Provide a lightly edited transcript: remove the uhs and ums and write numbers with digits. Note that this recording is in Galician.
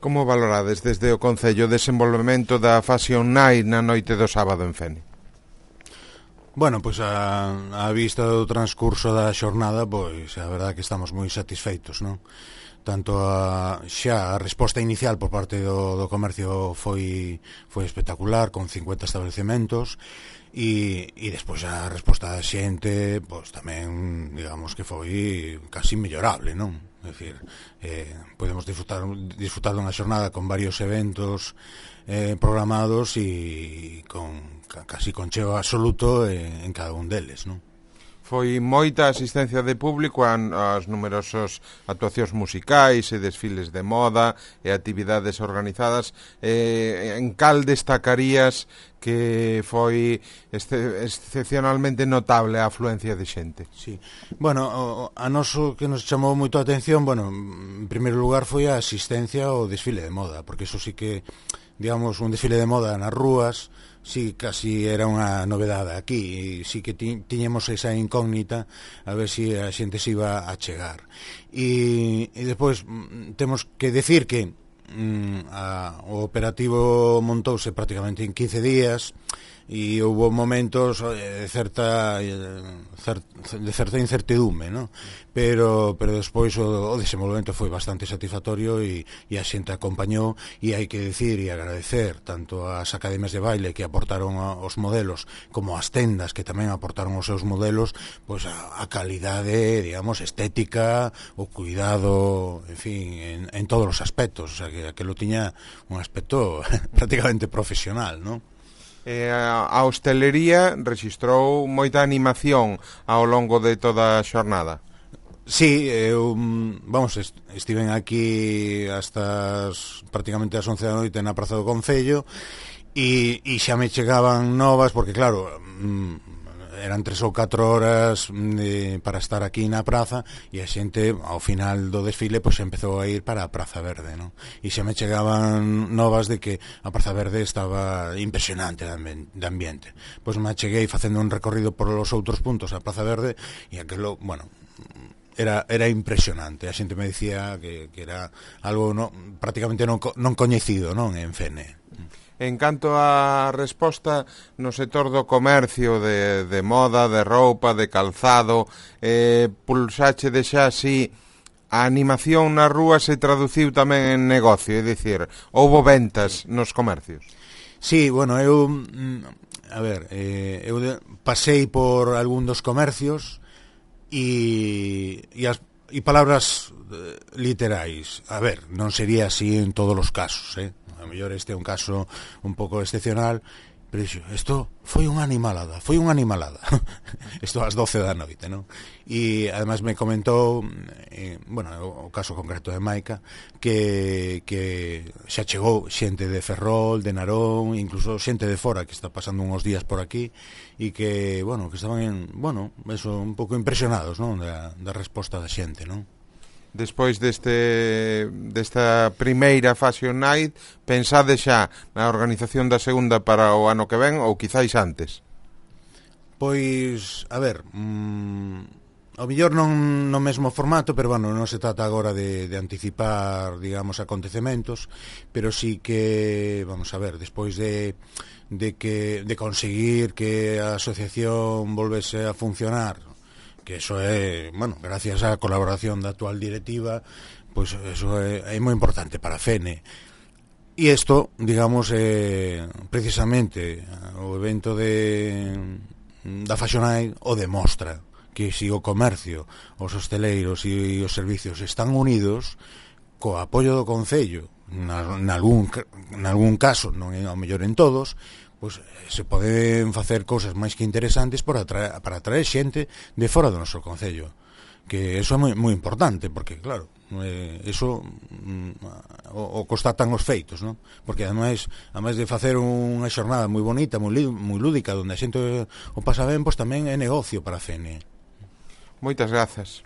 Como valorades desde o Concello o desenvolvemento da Fashion Night na noite do sábado en Fene? Bueno, pois a vista do transcurso da xornada, pois a verdade que estamos moi satisfeitos, non? Tanto xa a resposta inicial por parte do comercio foi espectacular, con 50 establecementos, e despois a resposta da xente, pois tamén, digamos que foi casi mellorable, non? É dicir, podemos disfrutar dunha xornada con varios eventos programados e casi con cheo absoluto en cada un deles, non? Foi moita asistencia de público ás numerosas actuacións musicais e desfiles de moda e actividades organizadas. En cal destacarías que foi excepcionalmente notable a afluencia de xente? Sí. Bueno, a noso que nos chamou moito a atención, bueno, en primeiro lugar foi a asistencia ao desfile de moda, porque eso sí que, digamos, un desfile de moda nas rúas, sí, casi era unha novedade aquí, e sí que tiñemos esa incógnita a ver si a xente se iba a chegar. E despois temos que decir que o operativo montouse prácticamente en 15 días e houve momentos de certa incertidume, ¿no? Pero despois o desenvolvemento foi bastante satisfactorio e a xente acompañou, e hai que decir e agradecer tanto ás academias de baile que aportaron os modelos como as tendas que tamén aportaron os seus modelos, pois a calidade, digamos, estética, o cuidado, en fin, en todos os aspectos, o sea, que aquilo tiña un aspecto prácticamente profesional, ¿no? A hostelería rexistrou moita animación ao longo de toda a xornada. Sí, eu, vamos, estiven aquí hasta prácticamente as 11 da noite na Praza do Concello e xa me chegaban novas, porque claro, eran 3 ou 4 horas para estar aquí na praza, e a xente ao final do desfile pois empezou a ir para a Praza Verde, non? E xa me chegaban novas de que a Praza Verde estaba impresionante de ambiente. Pois me cheguei facendo un recorrido por os outros puntos a Praza Verde e aquilo, bueno, era impresionante. A xente me dicía que era algo prácticamente non coñecido, non, en Fene. En canto á resposta no sector do comercio de moda, de roupa, de calzado, pulsache de xa así, a animación na rúa se traduciu tamén en negocio, é dicir, houbo ventas nos comercios? Sí, bueno, eu pasei por algún dos comercios e palabras literais. A ver, non sería así en todos os casos, a mellor este é un caso un pouco excepcional, pero isto foi unha animalada isto ás 12 da noite, non? E ademais me comentou, bueno, o caso concreto de Maica, que xa chegou xente de Ferrol, de Narón, incluso xente de fora que está pasando uns días por aquí, e que, bueno, que estaban, bueno, eso, un pouco impresionados, non, da resposta da xente, non? Despois desta primeira Fashion Night, pensade xa na organización da segunda para o ano que ven ou quizáis antes? Pois, a ver, ao mellor non no mesmo formato, pero bueno, non se trata agora de anticipar, digamos, acontecementos, pero sí que, vamos a ver, despois de conseguir que a asociación volvese a funcionar, que eso é, bueno, gracias á colaboración da actual directiva, pois eso é moi importante para Fene. E isto, digamos, precisamente o evento da Fashion Night o demostra, que se o comercio, os hosteleiros e os servicios están unidos, co apoio do Concello, nalgún caso, non é ao mellor en todos, pois se poden facer cousas máis que interesantes para atraer xente de fora do noso concello, que eso é moi importante, porque claro, eso o constatan os feitos, non? Porque ademais de facer unha xornada moi bonita, moi lúdica, onde a xente o pasa ben, pois tamén é negocio para a Fene. Moitas grazas.